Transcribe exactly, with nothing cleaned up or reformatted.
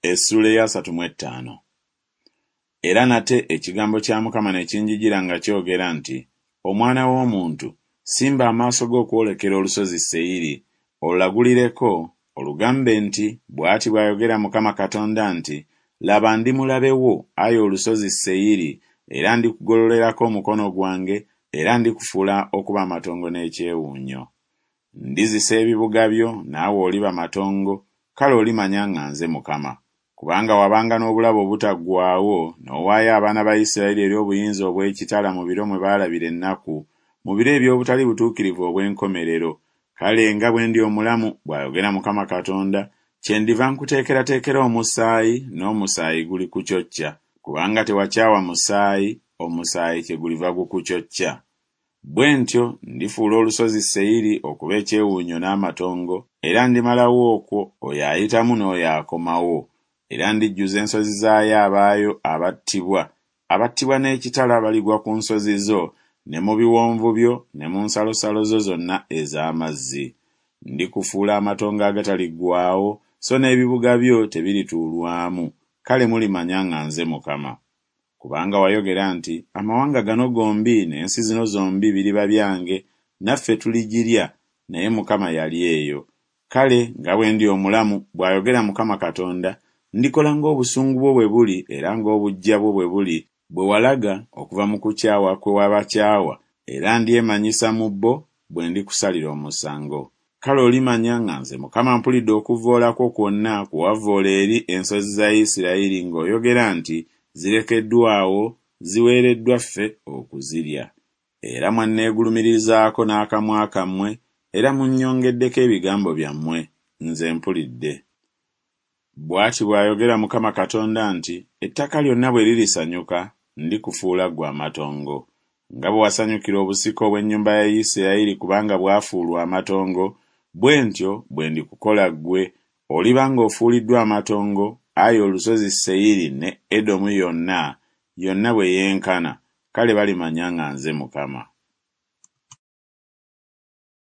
Essuula ey'asatu mu ettaano. Era nate ekigambo kya Mukama ne kinjijira nga kyogera nti Omwana w'omuntu, simba amaaso go okwolekera olusozi Seyiri, olulagulireko, olugambe nti Bw'ati bw'ayogera Mukama Katonda nti Laba ndi mulabe wo, ayi olusozi Seyiri, era ndikugololerako omukono gwange, era ndikufuula okuba amatongo n'ekyewuunyo. Ndizisa ebibuga byo, naawe oliba matongo, kale olimanya nga nze Mukama. Kubanga wabanga n'obulabe obutaggwaawo, n'owaayo abaana ba Isirayiri eri obuyinza obw'ekitala mu biro mwe baalabira ennaku, mu biro eby'obutali butuukirivu obw'enkomerero. Kale nga bwe ndi omulamu, bw'ayogera Mukama Katonda, kyendiva nkuteekerateekera omusaayi, n'omusaayi gulikucocca. Kubanga tewakyawa musaayi, omusaayi kyeguliva gukucocca. Bwe ntyo ndifuula olusozi Seyiri okuba ekyewuunyo n'amatongo, era ndimalawo okwo oyo ayitamu n'oyo akomawo. Era ndijjuza ensozi zaayo abaayo abattibwa, abattibwa n'ekitala baligwa ku nsozi zo ne mu biwonvu byo ne mu nsalosalo zo zonna ez'amazzi. Ndikufuula amatongo agataliggwaawo, so n'ebibuga byo tebirituulwamu, kale mulimanya nga nze Mukama. Kubanga wayogera nti Amawanga gano gombi n'ensi zino zombi biriba byange, naffe tuligirya, naye Mukama yali eyo. Kale nga bwe ndi omulamu, bw'ayogera Mukama Katonda, ndikola ng'obusungu bwo bwe buli era ng'obuggya bwo bwe buli bwe walaga okuva mu kukyawa kwe wabakyawa, era ndyemanyisa mu bo bwe ndikusalira omusango. Kale olimanya nga nze Mukama mpulidde okuvvoola kwo kwonna kwe wavvoola eri ensozi za Isirayiri ng'oyogera nti Zirekeddwa awo, ziweereddwa ffe okuzirya. Era mwanneegulumirizaako n'akamwa kammwe, era munnyongeddeko ebigambo byammwe, nze mpulidde. Bw'ati bw'ayogera Mukama Katonda nti Ettaka lyonna bwe lirisanyuka, ndikufuula ggwe amatongo. Nga bwe wasanyukira obusika obw'ennyumba ya Isirayiri kubanga bwafuulwa amatongo, bwe ntyo bwe ndikukola ggwe, oliba ng'ofuuliddwa amatongo, ayi olusozi Seyiri ne Edomu yonna, yonna bwe yenkana, kale balimanya nga nze Mukama.